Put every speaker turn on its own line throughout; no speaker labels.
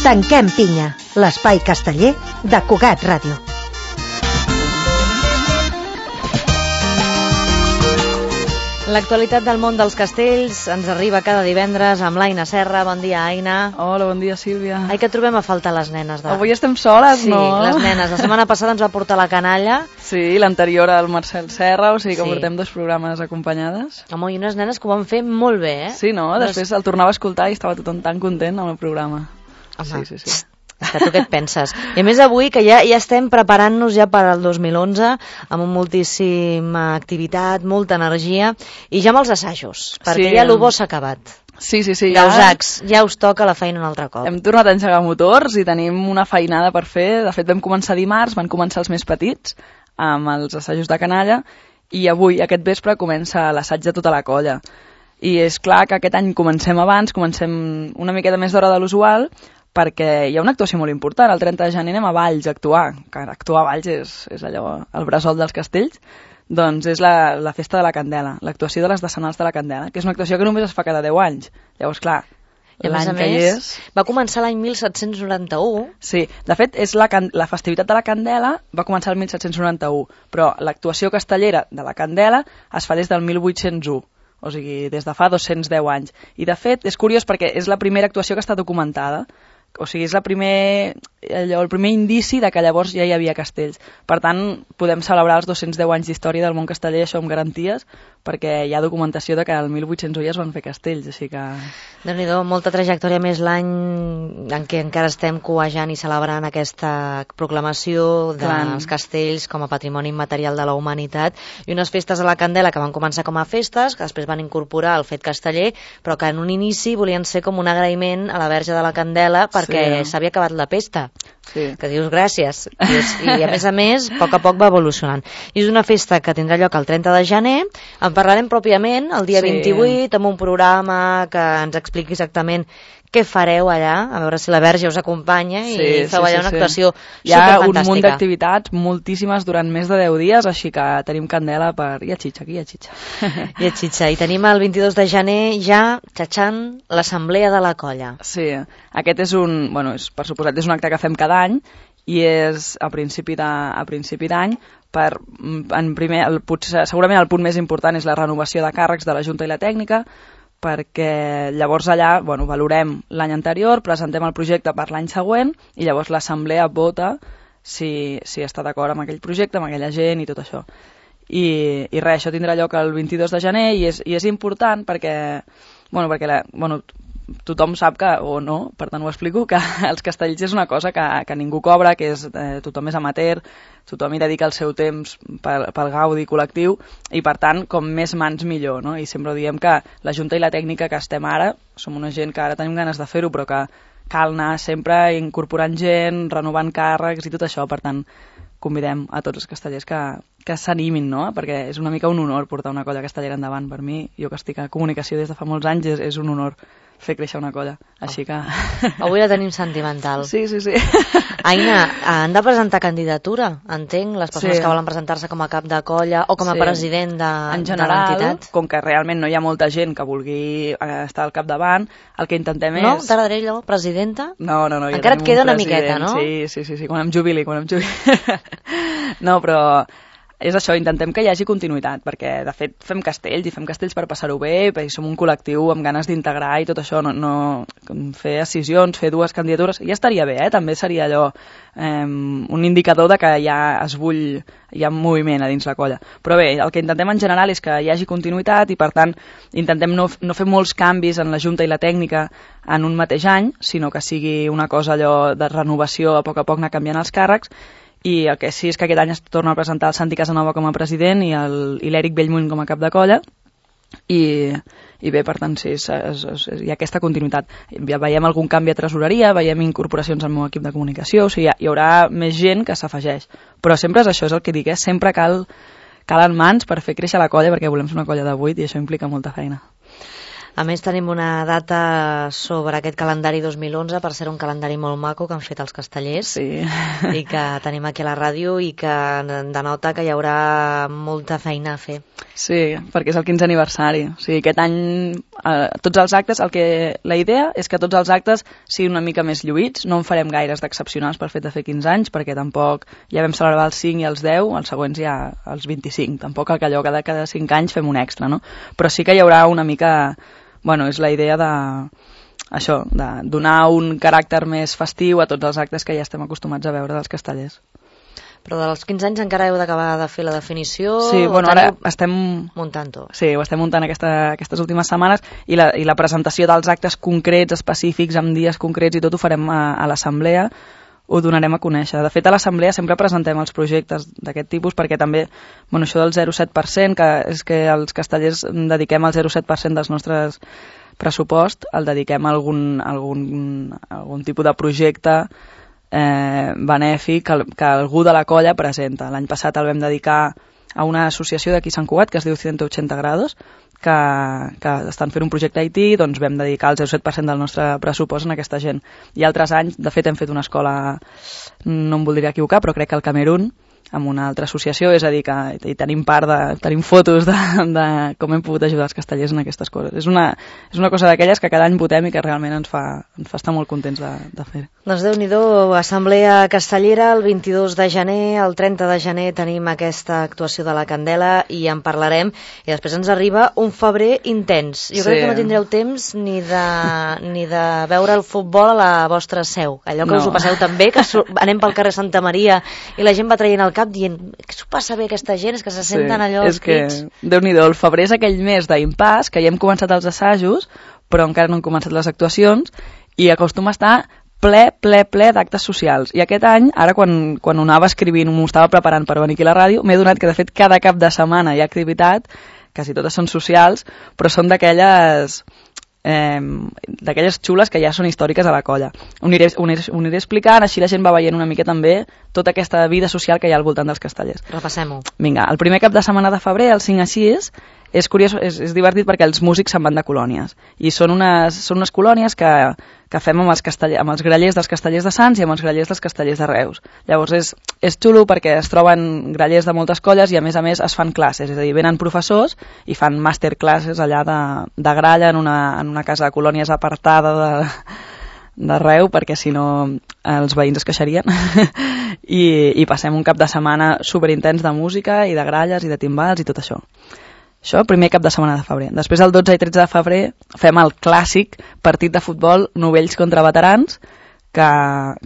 Tanquem pinya, l'espai casteller de Cugat Ràdio.
L'actualitat del món dels castells ens arriba cada divendres amb l'Aina Serra. Bon dia, Aina.
Hola, bon dia, Sílvia.
Ai, que trobem a faltar les nenes.
Avui estem soles,
sí,
no?
Sí, les nenes. La setmana passada ens va portar la canalla.
Sí, l'anterior al Marcel Serra, o sigui que portem 2 programes acompanyades.
Home, i unes nenes que ho van fer molt bé, eh?
Sí, no? Després el tornava a escoltar i estava tothom tan content amb el programa.
Home,
sí.
Que tu què et penses? I a més avui que ja estem preparant-nos ja per al 2011 amb moltíssima activitat, molta energia i ja amb els assajos, perquè ja el bo s'ha acabat.
Sí.
Gausacs, ja us toca la feina un altre cop.
Hem tornat a engegar motors i tenim una feinada per fer. De fet, vam començar dimarts, van començar els més petits amb els assajos de canalla i avui, aquest vespre, comença l'assaig de tota la colla. I és clar que aquest any comencem abans, comencem una miqueta més d'hora de l'usual, perquè hi ha una actuació molt important. El 30 de gener anem a Valls a actuar, que actuar a Valls és allò, el bressol dels castells. Doncs és la festa de la Candela, l'actuació de les decenals de la Candela, que és una actuació que només es fa cada 10 anys. Llavors, clar, l'any que hi és...
Va començar l'any 1791.
Sí, de fet, és la festivitat de la Candela va començar el 1791, però l'actuació castellera de la Candela es fa des del 1801. O sigui, des de fa 210 anys. I, de fet, és curiós perquè és la primera actuació que està documentada. O sigui, és el primer indici de que llavors ja hi havia castells. Per tant, podem celebrar els 210 anys d'història del món casteller, això amb garanties, perquè hi ha documentació de que el 1801 ja es van fer castells, així que...
Déu-n'hi-do, molta trajectòria, més l'any en què encara estem coejant i celebrant aquesta proclamació dels castells com a patrimoni immaterial de la humanitat, i unes festes a la Candela que van començar com a festes, que després van incorporar el fet casteller, però que en un inici volien ser com un agraïment a la Verge de la Candela perquè s'havia acabat la pesta.
Sí.
Que dius gràcies. I a més, a poc va evolucionant. I és una festa que tindrà lloc el 30 de gener. En parlarem pròpiament el dia 28 amb un programa que ens expliqui exactament què fareu allà, a veure si la Verge us acompanya i feu allà una actuació superfantàstica.
Hi ha un munt d'activitats, moltíssimes durant més de 10 dies, així que tenim candela per... Hi ha xitxa.
I tenim el 22 de gener ja xatxant l'assemblea de la colla.
Sí, aquest és per suposat, és un acte que fem cada any i és a principi d'any. Segurament el punt més important és la renovació de càrrecs de la Junta i la Tècnica, perquè llavors allà valorem l'any anterior, presentem el projecte per l'any següent i llavors l'assemblea vota si està d'acord amb aquell projecte, amb aquella gent i tot això. I res, això tindrà lloc el 22 de gener i és important perquè tothom sap que, o no, per tant ho explico, que els castells és una cosa que ningú cobra, que tothom és amateur, tothom hi dedica el seu temps pel gaudi col·lectiu i per tant com més mans millor, no? I sempre diem que la Junta i la Tècnica que estem ara, som una gent que ara tenim ganes de fer-ho però que cal anar sempre incorporant gent, renovant càrrecs i tot això, per tant convidem a tots els castellers que s'animin, no? Perquè és una mica un honor portar una colla castellera endavant. Per mi, jo que estic a comunicació des de fa molts anys, és un honor fer créixer una colla, així que...
Avui la tenim sentimental.
Sí.
Aina, han de presentar candidatura, entenc, les persones que volen presentar-se com a cap de colla o com a president de l'entitat.
En general, com que realment no hi ha molta gent que vulgui estar al capdavant, el que intentem és...
No? T'agradaria allò, presidenta?
No.
Encara et queda una miqueta, no?
Sí, quan em jubili. No, però... És això, intentem que hi hagi continuïtat, perquè de fet fem castells per passar-ho bé, perquè som un col·lectiu amb ganes d'integrar i tot això, no fer escissions, fer 2 candidatures, ja estaria bé, també seria allò un indicador de que ja es bull, hi ha moviment a dins la colla. Però bé, el que intentem en general és que hi hagi continuïtat i per tant intentem no fer molts canvis en la Junta i la Tècnica en un mateix any, sinó que sigui una cosa allò de renovació, a poc anar canviant els càrrecs. I el que sí és que aquest any es torna a presentar el Santi Casanova com a president i l'Eric Bellmunt com a cap de colla i bé, per tant, sí, hi ha aquesta continuïtat. Ja veiem algun canvi a tresoreria, veiem incorporacions al meu equip de comunicació, o sigui, hi haurà més gent que s'afegeix. Però sempre és això, és el que dic, sempre calen mans per fer créixer la colla perquè volem ser una colla de 8 i això implica molta feina.
A més, tenim una data sobre aquest calendari 2011, per ser un calendari molt maco que han fet els castellers,
sí.
I que tenim aquí a la ràdio i que denota que hi haurà molta feina a fer.
Sí, perquè és el 15è aniversari. O sigui, aquest any, tots els actes, la idea és que tots els actes siguin una mica més lluïts, no en farem gaires d'excepcionals per fet de fer 15 anys, perquè tampoc ja vam celebrar els 5 i els 10, els següents ja els 25. Tampoc el que allò cada 5 anys fem un extra, no? Però sí que hi haurà una mica... Bueno, és la idea de donar un caràcter més festiu a tots els actes que ja estem acostumats a veure dels castellers.
Però dels 15 anys encara heu d'acabar de fer la definició?
Sí, bueno, ara estem...
muntant-ho.
Sí, ho estem muntant aquestes últimes setmanes i la presentació dels actes concrets, específics, amb dies concrets i tot ho farem a l'assemblea, ho donarem a conèixer. De fet, a l'assemblea sempre presentem els projectes d'aquest tipus perquè també, bueno, això del 0,7%, que és que els castellers dediquem el 0,7% dels nostres pressupost, el dediquem a algun tipus de projecte benèfic que algú de la colla presenta. L'any passat el vam dedicar a una associació d'aquí a Sant Cugat que es diu 180 grados, que estan fent un projecte IT, doncs vam dedicar el 0,7% del nostre pressupost en aquesta gent. I altres anys, de fet, hem fet una escola, no em voldria equivocar, però crec que al Camerún, amb una altra associació, és a dir, que tenim tenim fotos de com hem pogut ajudar els castellers en aquestes coses. És una cosa d'aquelles que cada any votem i que realment ens fa estar molt contents de fer.
Doncs Déu-n'hi-do, Assemblea Castellera, el 22 de gener, el 30 de gener tenim aquesta actuació de la Candela i en parlarem, i després ens arriba un febrer intens. Jo crec que no tindreu temps ni de veure el futbol a la vostra seu, allò que us ho passeu tan bé, que anem pel carrer Santa Maria i la gent va traient el cap dient que s'ho passa bé aquesta gent, és que se senten allò els crits.
Déu-n'hi-do, el febrer és aquell mes d'impàs que ja hem començat els assajos però encara no han començat les actuacions i acostuma a estar ple d'actes socials. I aquest any, ara quan ho anava escrivint, m'ho estava preparant per venir aquí a la ràdio, m'he donat que de fet cada cap de setmana hi ha activitat, quasi totes són socials, però són d'aquelles xules que ja són històriques a la colla. Ho aniré explicant, així la gent va veient una mica també tota aquesta vida social que hi ha al voltant dels castellers.
Repassem-ho.
Vinga, el primer cap de setmana de febrer, el 5 a 6, és curiós, és divertit perquè els músics se'n van de colònies i són unes colònies que fem amb els grallers dels castellers de Sants i amb els grallers dels castellers de Reus. Llavors és xulo perquè es troben grallers de moltes colles i a més es fan classes, és a dir, venen professors i fan masterclasses allà de gralla en una casa de colònies apartada d'arreu perquè si no els veïns es queixarien i passem un cap de setmana superintens de música i de gralles i de timbals i tot això. Això, primer cap de setmana de febrer. Després, el 12 i 13 de febrer, fem el clàssic partit de futbol novells contra veterans, que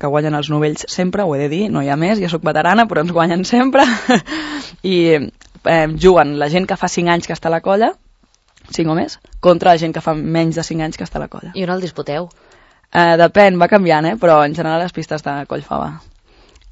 guanyen els novells sempre, ho he de dir, no hi ha més, jo sóc veterana, però ens guanyen sempre. I juguen la gent que fa 5 anys que està a la colla, 5 o més, contra la gent que fa menys de 5 anys que està a la colla.
I on el disputeu?
Depèn, va canviant, però en general les pistes de Collfava.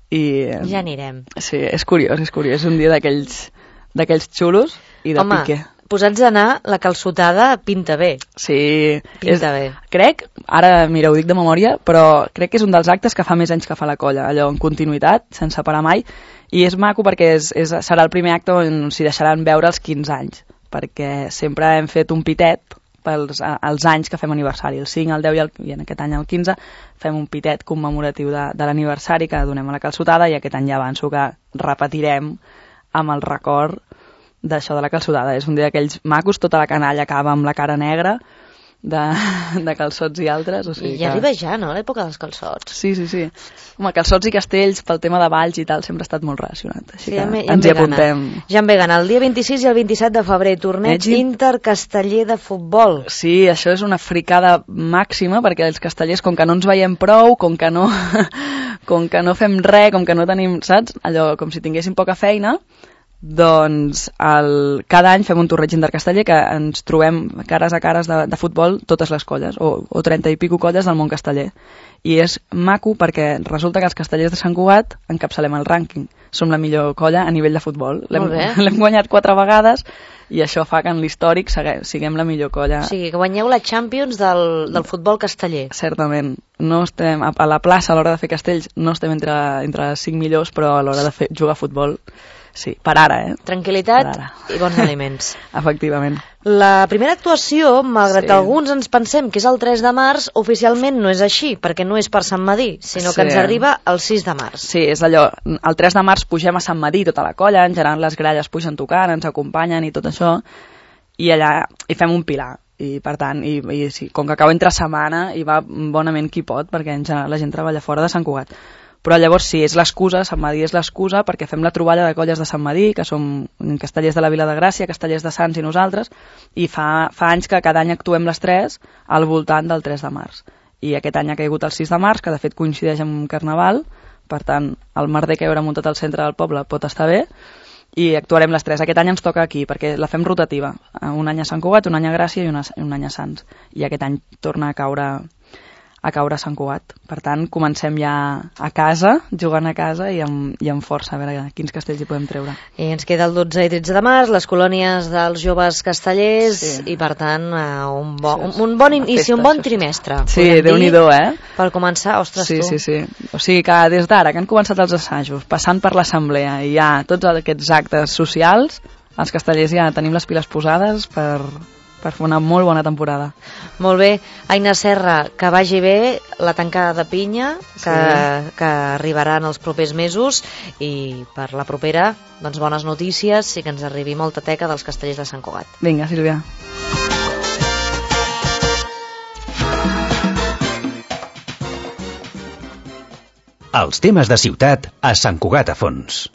Ja anirem.
Sí, és curiós, és un dia d'aquells xulos i de pique.
Home, posats a anar, la calçotada pinta bé.
Sí.
Pinta bé.
Crec, ara, mira, ho dic de memòria, però crec que és un dels actes que fa més anys que fa la colla, allò en continuïtat, sense parar mai, i és maco perquè serà el primer acte on s'hi deixaran veure els 15 anys, perquè sempre hem fet un pitet pels anys que fem aniversari, el 5, el 10 i en aquest any el 15, fem un pitet commemoratiu de l'aniversari que donem a la calçotada i aquest any ja avanço que repetirem amb el record d'això de la calçotada. És un dia d'aquells macos, tota la canalla acaba amb la cara negra de calçots i altres. O sigui
I ja arriba ja, no?, l'època dels calçots.
Sí. Home, calçots i castells, pel tema de balls i tal, sempre ha estat molt relacionat. Així que ens hi apuntem.
Ja em ve gana. El dia 26 i el 27 de febrer, torneig intercasteller de futbol.
Sí, això és una fricada màxima, perquè els castellers, com que no ens veiem prou, com que no fem res, com que no tenim, saps? Allò, com si tinguéssim poca feina, doncs cada any fem un torneig intercasteller que ens trobem cares a cares de futbol totes les colles, o 30 i pico colles del món casteller. I és maco perquè resulta que els castellers de Sant Cugat encapçalem el rànquing. Som la millor colla a nivell de futbol. L'hem guanyat 4 vegades i això fa que en l'històric siguem la millor colla.
O sigui, que guanyeu la Champions del futbol casteller.
Certament. No estem a la plaça a l'hora de fer castells, no estem entre les 5 millors, però a l'hora de jugar a futbol Sí, per ara,
Tranquil·litat i bons aliments.
Efectivament.
La primera actuació, malgrat
Sí.
alguns ens pensem que és el 3 de març, oficialment no és així, perquè no és per Sant Madí, sinó que ens arriba el 6 de març.
Sí, és allò, el 3 de març pugem a Sant Madí, tota la colla, en general les gralles pugen tocant, ens acompanyen i tot això, i allà hi fem un pilar. I per tant, sí, com que cau entre setmana hi va bonament qui pot, perquè en general la gent treballa fora de Sant Cugat. Però llavors sí, és l'excusa, Sant Madí és l'excusa perquè fem la troballa de colles de Sant Madí, que som castellers de la Vila de Gràcia, castellers de Sants i nosaltres, i fa anys que cada any actuem les 3 al voltant del 3 de març. I aquest any ha caigut el 6 de març, que de fet coincideix amb Carnaval, per tant, el merder que hi haurà muntat al centre del poble pot estar bé, i actuarem les 3. Aquest any ens toca aquí, perquè la fem rotativa. Un any a Sant Cugat, un any a Gràcia i un any a Sants. I aquest any torna a caure a Sant Cugat. Per tant, comencem ja a casa, jugant a casa i amb força, a veure quins castells hi podem treure.
I ens queda el 12 i 13 de març, les colònies dels joves castellers, i per tant un bon inici, un bon trimestre.
Sí, Déu-n'hi-do,
Per començar, ostres, tu.
Sí. O sigui que des d'ara que han començat els assajos, passant per l'assemblea i ja tots aquests actes socials, els castellers ja tenim les piles posades per fer una molt bona temporada.
Molt bé. Aina Serra, que vagi bé la tancada de pinya, que arribarà en els propers mesos, i per la propera, doncs bones notícies i que ens arribi molta teca dels castellers de Sant Cugat.
Vinga, Sílvia.
Els temes de ciutat a Sant Cugat a Fons.